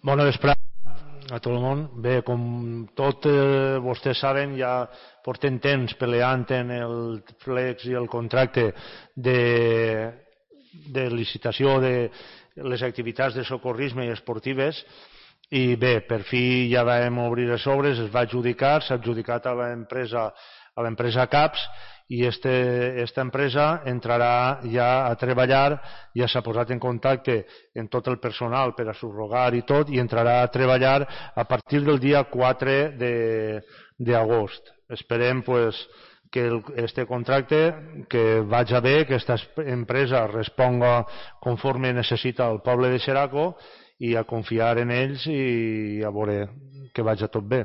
Bona vesprada a tot el món. Bé, com tots vostès saben, ja portem temps peleant en el flex i el contracte de licitació de les activitats de socorrisme i esportives, i bé, per fi ja vam obrir les obres, es va adjudicar, s'ha adjudicat a l'empresa CAPS, i esta empresa entrarà ja a treballar, ja s'ha posat en contacte amb tot el personal per a subrogar i tot, i entrarà a treballar a partir del dia 4 d'agost. Esperem que este contracte que vagi bé, que aquesta empresa responga conforme necessita el poble de Xeraco, i a confiar en ells i a veure que vagi tot bé.